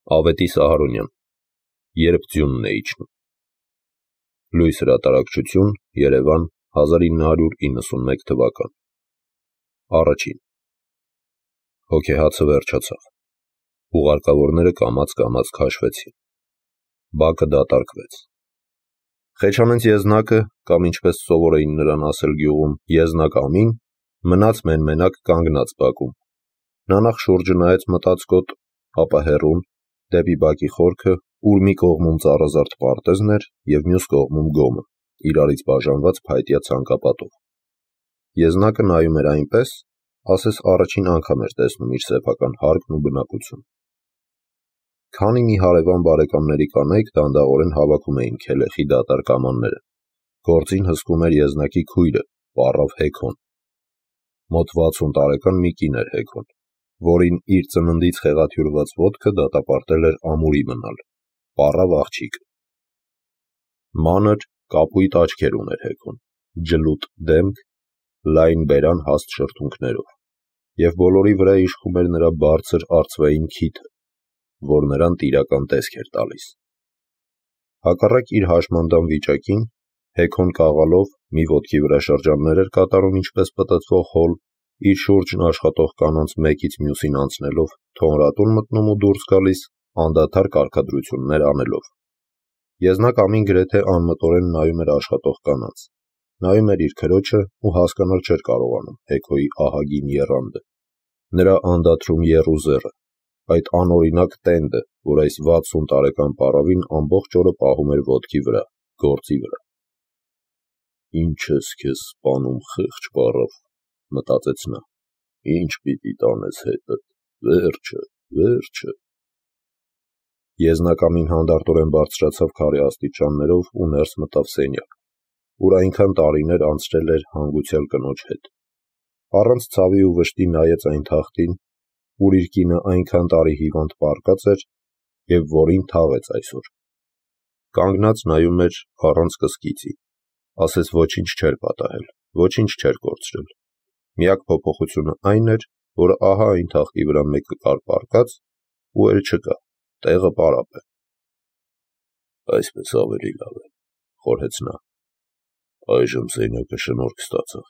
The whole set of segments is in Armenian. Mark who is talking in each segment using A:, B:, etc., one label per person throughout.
A: Ավետի Սահարոնյան, երբ ձյունն է իջնում։ Լույս հրատարակչություն, Երևան, 1991 թվական։ Առաջին։ Հոգեհացը վերջացավ։ Ուղարկավորները կամաց-կամաց քաշվեցին։ Բակը դատարկվեց։ Խեչանենց Եզնակը, կամ ինչպես սովոր էին նրան ասել գյուղում, Եզնակ Ամին, մնաց մեն-մենակ կանգնած բակում։ Նա նախ շուրջը նայեց մտածկոտ, ապա հեռուն, դեպի բակի խորքը, ուր մի կողմում ծառազարդ պարտեզն էր և մյուս կողմում գոմը, իրարից բաժանված փայտյա ցանկապատով։ Եզնակը նայում էր այնպես, ասես առաջին անգամ էր տեսնում իր սեփական հարկն ու բնակություն։ Քանի մի հարևան բարեկամների կանայք դանդաղորեն հավաքում էին քելեխի դատարկ ամանները։ Գործին հսկում էր Եզնակի քույրը, պառավ Հեքոն։ Մոտ 60 տարեկան մի կին էր Հեքոն, որին իր ծննդից խեղաթյուրված ոտքը դատապարտել էր ամուրի մնալ, պառավ աղջիկը։ Մանր, կապույտ աչքեր ուներ Հեքոն, ջլուտ դեմք, լայն բերան հաստ շրթունքներով, և բոլորի վրա իշխում էր նրա բարձր արծվային քիթը, որ նրան տիրական տեսք էր տալիս։ Հակառակ իր հաշմանդամ վիճակին, Հեքոն կաղալով մի ոտքի վրա շրջաններ էր կատարում ինչպես պտտվող հոլ, իր շուրջն աշխատող կանանց մեկից մյուսին անցնելով, թոնրատուն մտնում ու դուրս գալիս, անդադար կարգադրություններ անելով։ Եզնակ Ամին գրեթե անմտորեն նայում էր աշխատող կանանց, նայում էր իր քրոջը ու հասկանալ չէր կարողանում Հեքոյի ահագին եռանդը, նրա անդադրում եռուզեռը, այդ անօրինակ տենդը, որ այս 60 տարեկան պառավին ամբողջ օրը պահում էր ոտքի վրա, գործի վրա։ «Ինչ ես քեզ սպանում, խեղճ պառավ», մտածեց նա, «ինչ պիտի տանես հետդ, վերջը, վերջը»։ Եզնակ Ամին հանդարտորեն բարձրացավ քարե աստիճաններով ու ներս մտավ սենյակ, ուր այնքան տարիներ անցրել էր հանգուցյալ կնոջ հետ։ Առանց ցավի ու վշտի նայեց այն թախտին, ուր իր կինը այնքան տարի հիվանդ պառկած էր և որին թաղեց այսօր։ Կանգնած նայում էր առանց կսկիծի, ասես ոչինչ չէր պատահել, ոչինչ չէր կորցրել։ Միակ փոփոխությունը այն էր, որ ահա այն թախտի վրա մեկը կար պառկած ու էլ չկա, տեղը պարապ է։ «Այսպես ավելի լավ է», խորհեց նա։ «Այժմ սենյակը շնորհք ստացավ,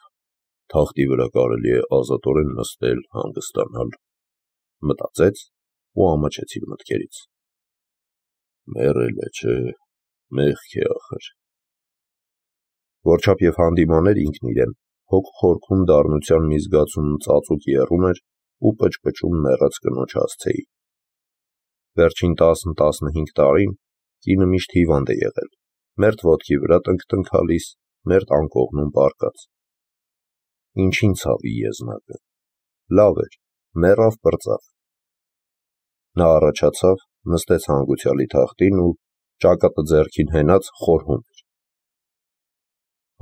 A: թախտի վրա կարելի է ազատորեն նստել, հանգստանալ», մտածեց ու ամաչեց իր մտքերից։ «Մեռել է, չէ, մեղք է ախր»։ Որչափ և հանդիման էր ինքն իրեն, հոգ խորքում դառնության մի զգացում ծածուկ եռում էր ու պճպճում մեռած կնոջ հասցեին։ Վերջին 10-15 տարին կինը միշտ հիվանդ է եղել, մերթ ոտքի վրա տնքտնքալիս, մերթ անկողնում պառկած։ Ինչին ցավի Եզնակը, լավ էր, մեռավ պրծավ։ Նա առաջացավ, նստեց հանգուցյալի թախտին ու ճակատը ձեռքին հենած խորհում էր։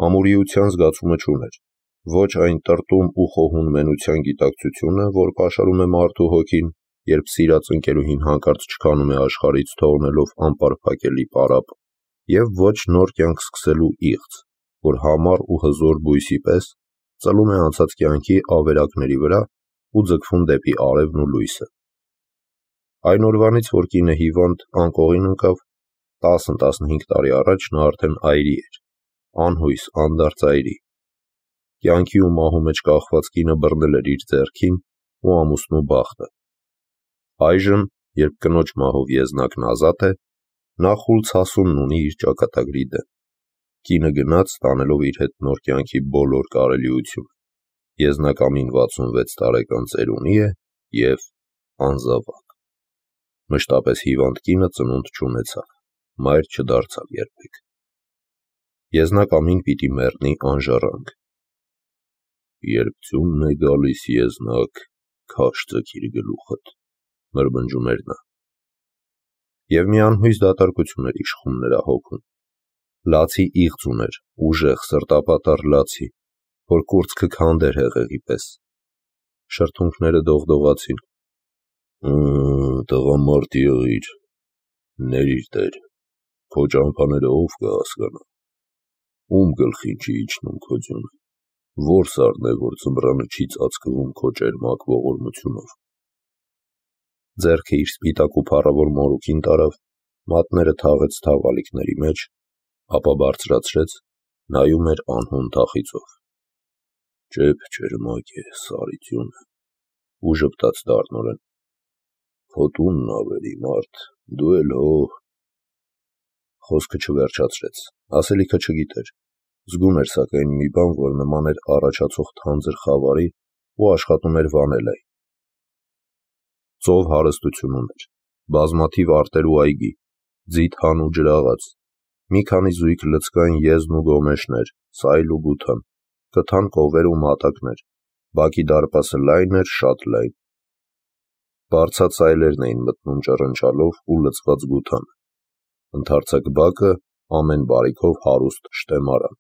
A: Ամուրիության զգացումը չուներ, ոչ այն տրտում ու խոհուն մենության գիտակցությունը, որ պաշարում է մարդու հոգին, երբ սիրած ընկերուհին հանկարծ չքանում է աշխարհից, թողնելով անպարփակելի պարապ, և ոչ նոր կյանք սկսելու իղձ, որ համառ ու հզոր բույսի պես ծլում է անցած կյանքի ավերակների վրա ու ձգվում դեպի արևն ու լույսը։ Այն օրվանից, որ կինը հիվանդ անկողին ընկավ, 10-15 տարի առաջ նա արդեն այրի էր, անհույս, անդարձ այրի։ Կյանքի ու մահու մեջ կախված կինը բռնել էր իր ձեռքին ու ամուսնու բախտը։ Այժմ, երբ կնոջ մահով Եզնակն ազատ է, նա խուլ ցասումն ունի իր ճակատագրի դեմ։ Կինը գնաց, տանելով իր հետ նոր կյանքի բոլոր կարելիությունը։ Եզնակ Ամին 66 տարեկան ծերունի է և անզավակ։ Մշտապես հիվանդ կինը ծնունդ չունեցավ, մայր չդարձավ երբեք։ Եզնակ Ամին պիտի մեռնի անժառանգ։ «Երբ ձյունն է գալիս, Եզնակ, քաշ ձգիր գլուխդ», մրմնջում էր նա։ Եվ մի անհույս դատարկություն էր իշխում նրա հոգում։ Լացի իղձ ուներ, ուժեղ, սրտապատառ լացի, որ կուրծքը քանդեր հեղեղի պես։ Շրթունքները դողդողացին։ «Տղամարդ եղիր, ներիր տեր, քո ճամփաները ով կհասկանա, ում գլխին չի իջնում քո ձյունը, որ սառն է, որ ձմռանը չի ծածկվում քո ճերմակ ողորմությունով»։ ձեռքը իր սպիտակ ու փառավոր մորուքին տարավ, մատները թաղեց թաղալիքների մեջ, ապա բարձրացրեց, նայում էր անհուն թախիծով։ Ճեպ ճերմակ է, սարիթյուն, ու ժպտաց դառնորեն։ Քո տունն ավելի մարդ, դու էլ հո։ Խոսքը չվերջացրեց, ասելիքը չգիտեր, զգում էր սակայն մի բան, որ նման էր առաջացող թանձր խավարի ու աշխատում էր վանել այն։ Ծով հարստություն ուներ, բազմաթիվ արտեր ու այգի, ձիթ-հան ու ջրաղաց, մի քանի զույգ լցկային եզն ու գոմեշներ, սայլ ու գութան, կթան կովեր ու մատակներ, բակի դարպասը լայն էր, շատ լայն։ Բարձած սայլերն էին մտնում ճռնչալով ու լցված գութան, ընդարձակ բակը ամեն բարիքով հարուստ շտեմարան,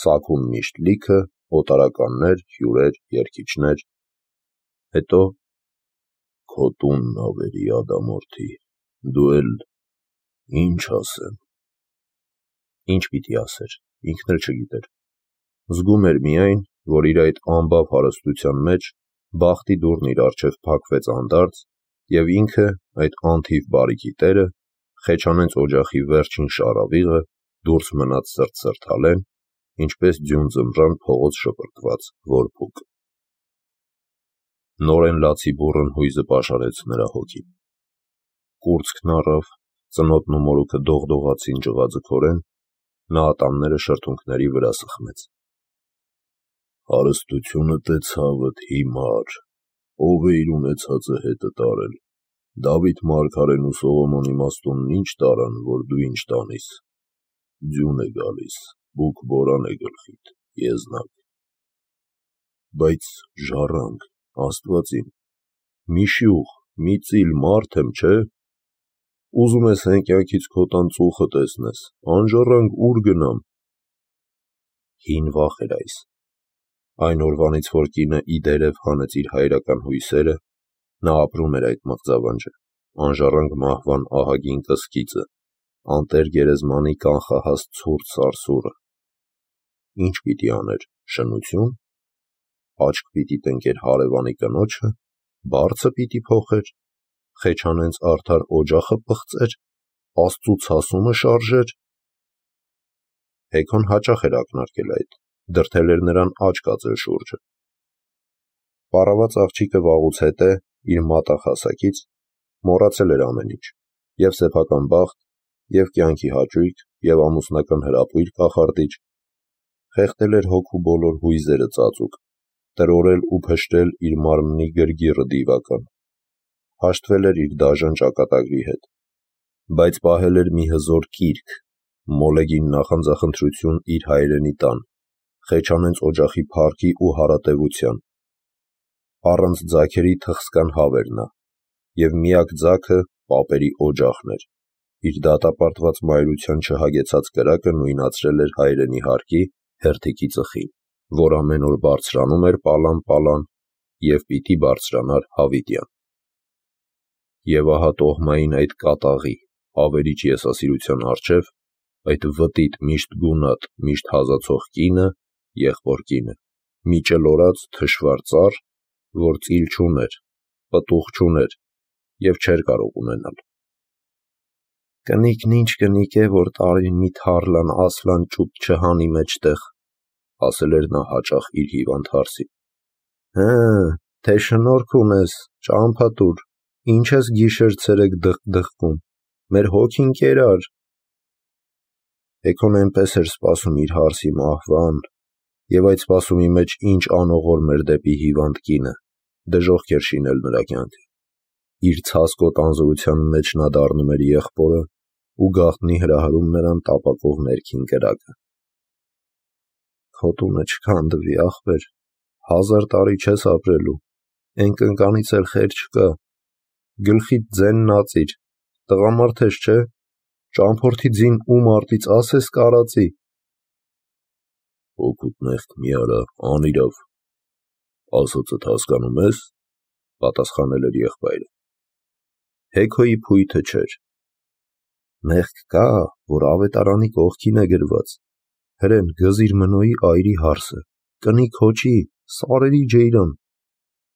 A: սակում միշտ լիքը, օտարականներ, հյուրեր, երգիչներ, հետո քո տունն ավելի ադամորդի, դու էլ ինչ ասեմ։ Ինչ պիտի ասեր, ինքն էլ չգիտեր, զգում էր միայն, որ իր այդ անբավ հարստության մեջ բախտի դուռն իր առջև փակվեց անդարձ, և ինքը, այդ անթիվ բարիքի տերը, Խեչանենց օջախի վերջին շառավիղը, դուրս մնաց սրտ-սրտալեն, ինչպես ձյուն ձմռան փողոց շպրտված որբուկ։ Նորեն լացի բուռն հույզը պաշարեց նրա հոգին։ Կուրծքն առավ, ծնոտն ու մորուքը դողդողացին ջղաձգորեն, նա ատամները շրթունքների վրա սխմեց։ Հարստությունը տե ցավդ հիմար, ով է իր ունեցածը հետը տարել, Դավիթ մարգարեն ու Սողոմոն իմաստունն ինչ տարան, որ դու ինչ տանիս, ձյուն է գալիս, բուք բորան է գլխիդ, եզնակ, բայց ժառանգ, աստվածին, մի շյուղ, մի ծիլ մարդ եմ, չէ, ուզում ես հենկյանքից քո տան ծուխը տեսնես, անժառանգ ուր գնամ։ Հին վախ էր այս, այն օրվանից, որ կինը ի դերև հանեց իր հայրական հույսերը, նա ապրում էր այդ մղձավանջը, անժառանգ մահվան ահագին կսկիծը, անտեր գերեզմանի կանխահաս ցուրտ սարսուռը։ Ինչ պիտի աներ, շնություն, աչք պիտի տնկեր հարևանի կնոջը, բարձը պիտի փոխեր, Խեչանենց արդար օջախը պղծեր, Աստծու ցասումը շարժեր։ Հեքոն հաճախ էր ակնարկել այդ, դրդել էր նրան աչք ածել շուրջը։ Պառաված աղջիկը վաղուց հետե, իր մատախասակից, մոռացել էր ամեն ինչ, և սեփական բախտ, և կյանքի հաճույք, և ամուսնական հրապույր կախարդիչ, խեղդել էր հոգու բոլոր հույզերը ծածուկ, տրորել ու փշրել իր մարմնի գրգիռը դիվական, հաշտվել էր իր դաժան ճակատագրի հետ, բայց պահել էր մի հզոր կիրք, մոլեգին նախանձախնդրություն իր հայրենի տան, Խեչանենց օջախի փառքի ու հարատևության, առանց ձագերի թխսկան հավեր նա, և միակ ձագը պապերի օջախն էր, իր դատապարտված մայրության չհագեցած կրակը նույնացրել էր հայրենի հարկի հերթիկի ծխին, որ ամեն օր բարձրանում էր պալան և պիտի բարձրանար հավիտյան։ Եվ ահա տոհմային այդ կատաղի, ավերիչ եսասիրության առջև, այդ վտիտ միշտ գունատ, միշտ հազացող կինը, եղբոր կինը, մի ճլորած թշվառ ծառ, որ ծիլ չուներ, պտուղ չուներ և չէր կարող ունենալ։ Կնիկն ինչ կնիկ է, որ տարին մի թառլան ասլան ճուտ չհանի մեջտեղ, ասել էր նա հաճախ իր հիվանդ հարսին։ Թե շնորք ունես, ճամփատուր, ինչ ես գիշեր-ցերեկ դղկդղկում, մեր հոգին կերար։ Հեքոն էնպես էր սպասում իր հարսի մահվան, և այդ սպասումի մեջ ինչ անողորմ էր դեպի հիվանդ կինը, դժոխք էր շինել նրա կյանքը։ Իր ցասկոտ անզորության մեջ նա դառնում էր եղբորը ու գաղտնի հրահրում նրան տապակող ներքին կրակը։ Քո տունը չքանդվի, ախպեր, 1000 տարի չես ապրելու, էն կնկանից էլ խեր չկա, գլխիդ ձենն ածիր, տղամարդ ես, չէ, ճամփորդի ձին ու մարտից ասես կարածի։ Հոգուտ մեղք մի արա, անիրավ, ասածդ հասկանում ես, պատասխանել էր եղբայրը։ Հեքոյի փույթը չէր։ Մեղք կա, որ ավետարանի կողքին է գրված, հրեն գզիր Մնոյի այրի հարսը, կնի քոչի, սարերի ջեյրան,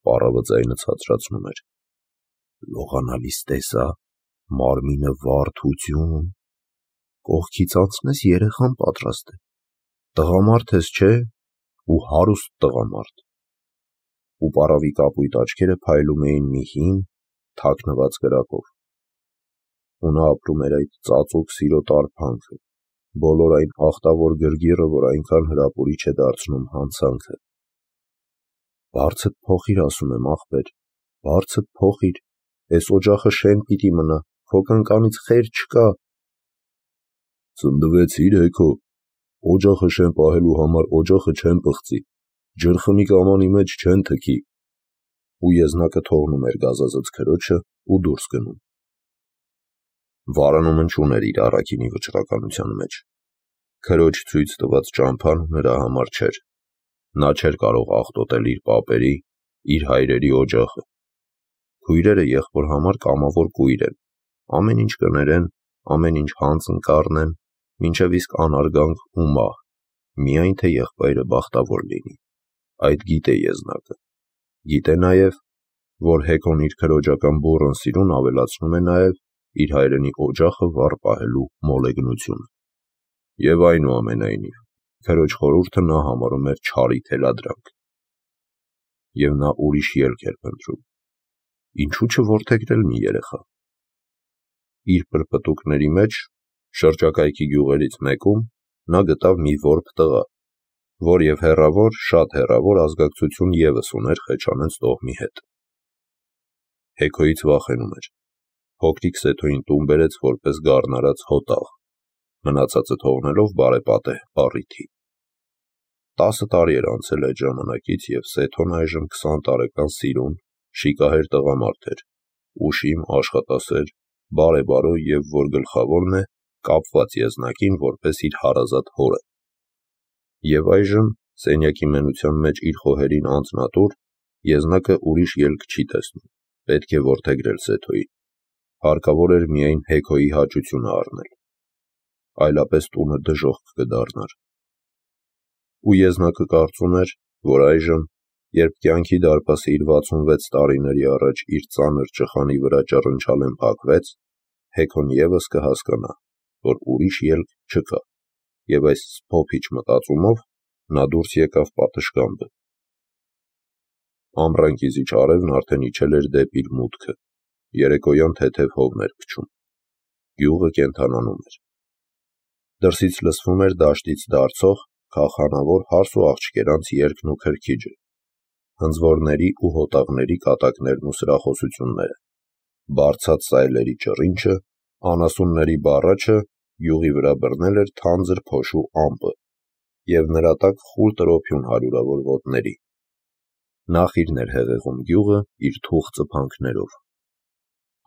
A: պառավը ձայնը ցածրացնում էր։ լողանալիս տեսա, մարմինը վարդություն, կողքից անցնես երեխան պատրաստ է, տղամարդ ես չէ, ու հարուստ տղամարդ, ու պարավի կապույտ աչքերը փայլում էին մի հին, թաքնված կրակով, ու նա ապրում էր այդ ծածուկ սիրո տարփանքը, բոլոր այն ախտավոր գրգիռը, որ այնքան հրապուրիչ է դարձնում հանցանքը։ Բարձդ փոխիր, ասում եմ, ախպեր, բարձդ փոխիր, էս օջախը շեն պիտի մնա, քո կնկանից խեր չկա։ Ծնդվեցիր հեքո, օջախը շեն պահելու համար օջախը չեն պղծի, ջրխմի կամանի մեջ չեն թքի, ու եզնակը թողնում էր գազազած քրոջը ու դուրս գնում։ Վարանումը չուներ իր առաքինի վճռականության մեջ։ Քրոջ ցույց տված ճամփան նրա համար չէր։ Նա չէր կարող աղտոտել իր պապերի, իր հայրերի օջախը։ Քույրերը եղբոր համար կամավոր կույր են, ամեն ինչ կներեն, ամեն ինչ հանցն կառնեն, մինչև իսկ անարգանք ու մահ, միայն թե եղբայրը բախտավոր լինի։ Այդ գիտե եզնակը։ Գիտե նաև, որ հեքոն իր քրոջական բուռն սիրուն ավելացնում է նաև իր հայրենի օջախը վառ պահելու մոլեգնությունը։ Եվ այնուամենայնիվ, քրոջ խորհուրդը նա համարում էր չարի թելադրանք։ Եվ նա ուրիշ ելք էր փնտրում։ Ինչու չորդեգրել մի երեխա։ Իր պրպտուկների մեջ, շրջակայքի գյուղերից մեկում, նա գտավ մի որբ տղա, որ և հեռավոր, շատ հեռավոր ազգակցություն ևս ուներ Խեչանենց տոհմի հետ։ Հեքոյից վախենում էր։ Փոքրիկ Սեթոյին տուն բերեց որպես գառնարած հոտաղ, մնացածը թողնելով բարեպատեհ առիթի։ 10 տարի էր անցել այդ ժամանակից, և Սեթոն այժմ 20 տարեկան սիրուն, շիկահեր տղամարդ էր, ուշիմ, աշխատասեր, բարեբարո և, որ գլխավորն է, կապված եզնակին որպես իր հարազատ հորը։ Եվ այժմ, սենյակի մենության մեջ իր խոհերին անձնատուր, եզնակը ուրիշ ելք չի տեսնում, պետք է որդեգրել Սեթոյին։ Հարկավոր էր միայն Հեքոյի հաճությունը առնել, այլապես տունը դժոխք կդառնար։ Ու եզնակը կարծում էր, որ այժմ, երբ կյանքի դարպասը իր 66 տարիների առաջ իր ծանր ճխանի վրա ճռնչալեն փակվեց, Հեքոն ևս կհասկանա, որ ուրիշ ելք չկա, և այս սփոփիչ մտածումով նա դուրս եկավ պատշգամբը։ Ամռան կիզիչ արևն արդեն իջել էր դեպի իր մուտքը, երեկոյան թեթև հովն էր փչում, գյուղը կենդանանում էր։ Դրսից լսվում էր դաշտից դարձող քախանավոր հարս ու աղջկերանց երգն ու քրքիջը, հնձվորների ու հոտաղների կատակներն ու սրախոսությունները, բարձած սայլերի ճռինչը, անասունների բառաչը, յուղի վրա բռնել էր թանձր փոշու ամպը և նրա տակ խուլ տրոփյուն հարյուրավոր ոտների։ Նախիրն էր հեղեղում գյուղը իր թուխ ծփանքներով։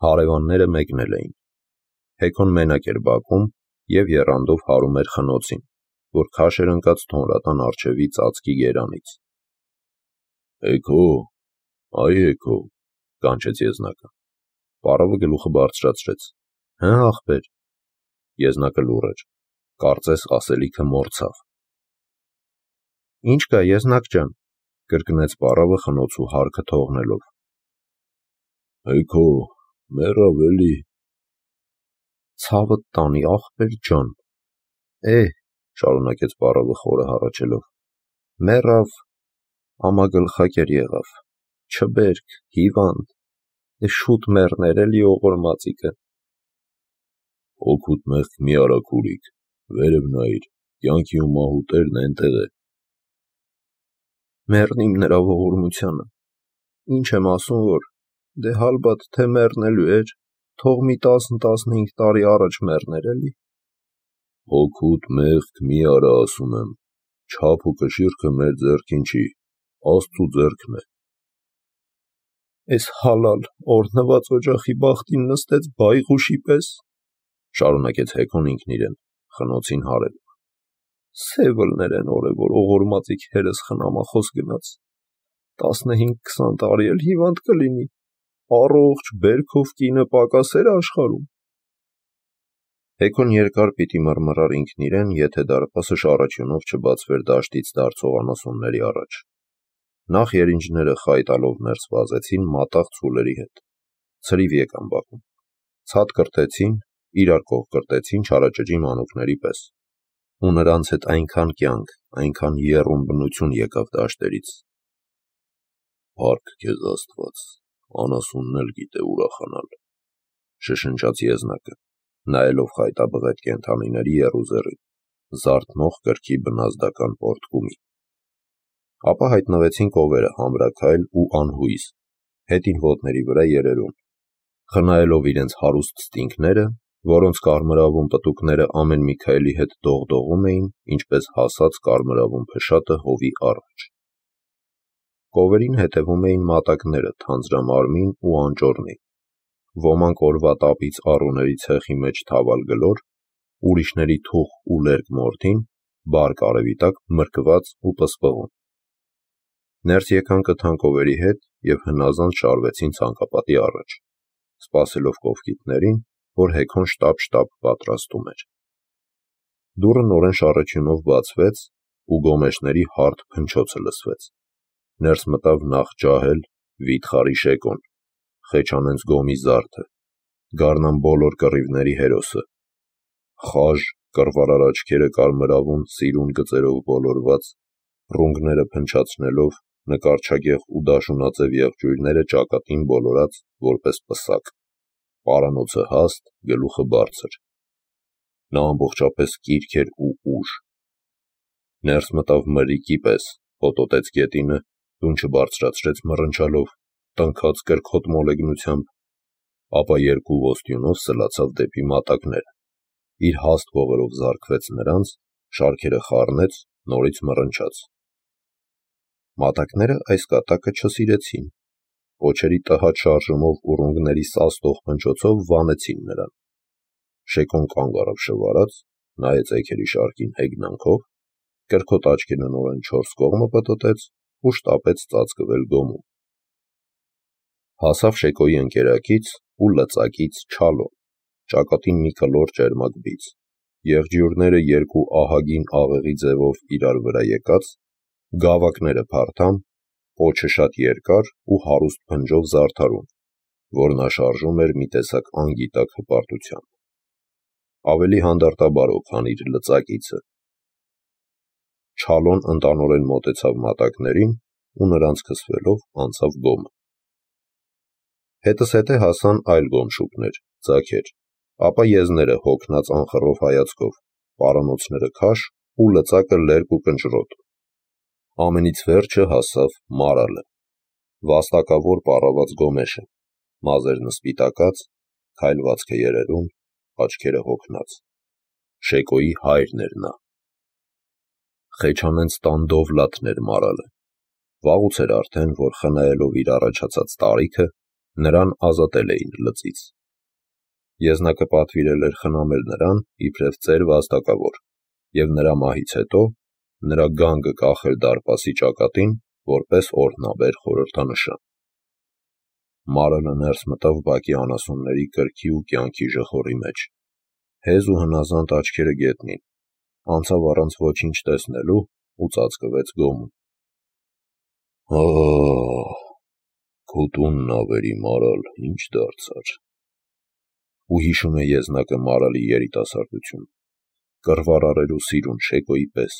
A: Հարևանները մեկնել էին։ Հեքոն մենակ էր բակում և եռանդով հարում էր խնոցին, որ քաշ էր ընկած թոնրատան առջևի ծածկի գերանից։ Հեքո, այ Հեքո, կանչեց եզնակը։ Պարավը գլուխը բարձրացրեց։ Հը, ախպեր։ Եզնակը լուռ էր, կարծես ասելիքը մոռացավ։ Ինչ կա, եզնակ ջան, կրկնեց պարավը խնոցու հարկը թողնելով։ Հեքո, մեռավ էլի։ Ցավդ տանի, ախպեր ջան։ Շարունակեց պարավը խորը հառաչելով։ Մեռավ, ամագլխակեր եղավ, չբերք, հիվանդ, շուտ մեռներ էլի օղորմածիկը։ Օգուտ մեղք մի արա քուրիկ, վերև նայիր, կյանքի ու մահու տերն էնտեղ է։ Մեռնիմ նրա ողորմությանը, ինչ եմ ասում, որ դե հալբատ թե մեռնելու էր, թող մի 10-15 տարի առաջ մեռներ էլի։ Օգուտ մեղք մի արա, ասում եմ, չափ ու կշիռքը մեր ձեռքին չի, Աստծու ձեռքն է։ Էս հալալ օրհնված օջախի բախտին նստեց բայղուշի պես, շարունակեց Հեքոն ինքն իրեն, խնոցին հարելով։ Սևլներ են օրը, որ օղորմածիկ հերս խնամախոս գնաց, 15-20 տարի էլ հիվանդ կլինի, առողջ բերքով կինը պակաս էր աշխարհում։ Հեքոն երկար պիտի մռմռար ինքն իրեն, եթե դարպասը շառաչյունով չբացվեր դաշտից դարձող անասունների առաջ։ Նախ երինջները խայտալով ներս վազեցին մատաղ ցուլերի հետ, ցրիվ եկան բակում, ցած կրտեցին, իրար կողք կրտեցին չարաճճի մանուկների պես, ու նրանց հետ այնքան կյանք, այնքան եռում բնություն եկավ դաշտերից։ Փառք քեզ Աստված, անասունն էլ գիտե ուրախանալ, շշնջաց եզնակը, նայելով խայտաբղետ կենդանիների եռուզեռին, զարթնող կրքի բնազդական պորտկումի։ Ապա հայտնվեցին կովերը համրաքայլ ու անհույս, հետին ոտների վրա երերուն, խնայելով իրենց հարուստ ստինգները, որոնց կարմրավուն պտուկները ամեն մի քայլի հետ դողդողում էին, ինչպես հասած կարմրավուն փշատը հովի առաջ։ Կովերին հետևում էին մատակները թանձրամարմին ու անճոռնի, ոմանք օրվա տապից առուների ցեխի մեջ թավալ գլոր, ուրիշների թուխ ու լերկ մորթին, բարկ արևի տակ մրկված ու պսպղում։ Ներս եկան կթանկովերի հետ և հնազանդ շարվեցին ցանկապատի առաջ, սպասելով կովկիթներին, որ Հեքոն շտապ պատրաստում էր։ Դուռը նորեն շառաչյունով բացվեց ու գոմեշների հարթ փնչոցը լսվեց։ Ներս մտավ նախ ջահել վիթխարի Շեկոն, Խեչանենց գոմի զարդը, գարնան բոլոր կռիվների հերոսը, խաժ, կռվարար աչքերը կարմրավուն սիրուն գծերով բոլորված, ռունգները փնչացնելով, նկարչագեղ ու դաշունաձև եղջյուրները ճակատին բոլորած որպես պսակ, պարանոցը հաստ, գլուխը բարձր։ Նա ամբողջապես կիրք էր ու ուժ։ Ներս մտավ մրրիկի պես, հոտոտեց գետինը, դունչը բարձրացրեց մռնչալով, տնքաց կրքոտ մոլեգնությամբ, ապա երկու ոստյունով սլացավ դեպի մատակները, իր հաստ ողերով զարկվեց նրանց, շարքերը խառնեց, նորից մռնչաց։ Մատակները այս կատակը չսիրեցին, պոչերի տհաճ շարժումով ու ռունգների սաստող փնչոցով վանեցին նրան։ Շեկոն կանգ առավ շվարած, նայեց էգերի շարքին հեգնանքով, կրքոտ աչքերը նորեն չորս կողմը պտտեց ու շտապեց ծածկվել գոմում։ Հասավ Շեկոյի ընկերակից ու լծակից Չալոն, ճակատին մի կլոր ճերմակ բիծ, եղջյուրները երկու ահագին աղեղի ձևով իրար վրա եկած, գավակները փարթամ, պոչը շատ երկար ու հարուստ փնջով զարդարուն, որ նա շարժում էր մի տեսակ անգիտակ հպարտությամբ։ Ավելի հանդարտաբարով, քան իր լծակիցը։ Չալոն ընտանորեն մոտեցավ մատակներին ու նրանց քսվելով անցավ գոմը։ Հետզհետե հասան այլ գոմշուկներ, ձագեր, ապա եզները հոգնած անխռով հայացքով, պարանոցները քաշ ու լծակը լերկ ու կնճռոտ։ Ամենից վերջը հասավ մարալը, վաստակավոր պառաված գոմեշը, մազերն սպիտակած, քայլվածքը երերուն, աչքերը հոգնած։ Շեկոյի հայրն էր նա։ Խեչանենց տան Դովլաթն էր մարալը։ Վաղուց էր արդեն, որ խնայելով իր առաջացած տարիքը, նրան ազատել էին լծից։ Եզնակը պատվիրել էր խնամել նրան իբրև ծեր վաստակավոր, և նրա մահից հետո նրա գանգը կախել դարպասի ճակատին, որպես օրհնաբեր խորհրդանշան։ Մարալը ներս մտավ բակի անասունների կրքի ու կյանքի ժխորի մեջ, հեզ ու հնազանդ աչքերը գետնին, անցավ առանց ոչինչ տեսնելու ու ծածկվեց գոմում։ Քո տունն ավերի, Մարալ, ինչ դարձար։ Ու հիշում է եզնակը Մարալի երիտասարդություն, կռվարար ու սիրուն Շեկոյի պես,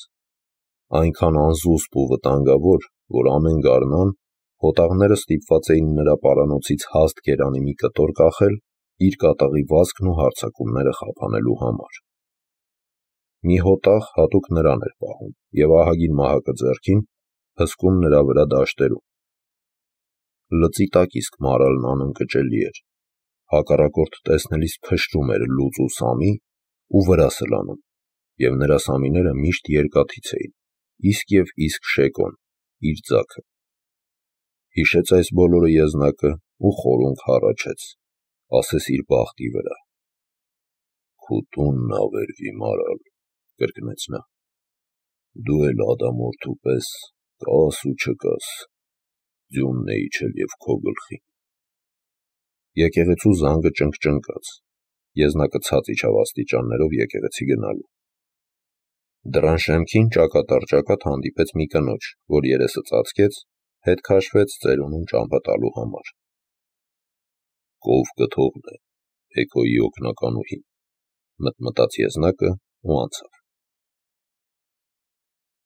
A: այնքան անզուսպ ու վտանգավոր, որ ամեն գարնան հոտաղները ստիպված էին նրա պարանոցից հաստ գերանի մի կտոր կախել իր կատաղի վազքն ու հարձակումները խափանելու համար։ Մի հոտաղ հատուկ նրան էր պահում և ահագին մահակը ձեռքին հսկում նրա վրա դաշտերում։ Լծի տակ իսկ Մարալն անընկճելի էր, հակառակորդ տեսնելիս փշրում էր լուծ ու սամի ու վրա սլանում, և նրա սամիները միշտ երկաթից էին, իսկ և իսկ Շեկոն, իր ձագը։ Հիշեց այս բոլորը եզնակը ու խորունգ հառաչեց, ասես իր բախտի վրա։ Քո տունն ավերվի, Մարալ, կրկնեց նա, դու էլ ադամորդու պես կաս ու չկաս, ձյունն է իջել և քո գլխին։ Եկեղեցու զանգը ճնգճնգաց, եզնակը ցած իջավ աստիճաններով եկեղեցի գնալու։ Դռան շեմքին ճակատ առ ճակատ հանդիպեց մի կնոջ, որ երեսը ծածկեց, հետ քաշվեց ծերունուն ճամփա տալու համար։ Կով կթողն է, Էգոյի օգնականուհին, մտմտաց Եզնակը ու անցավ։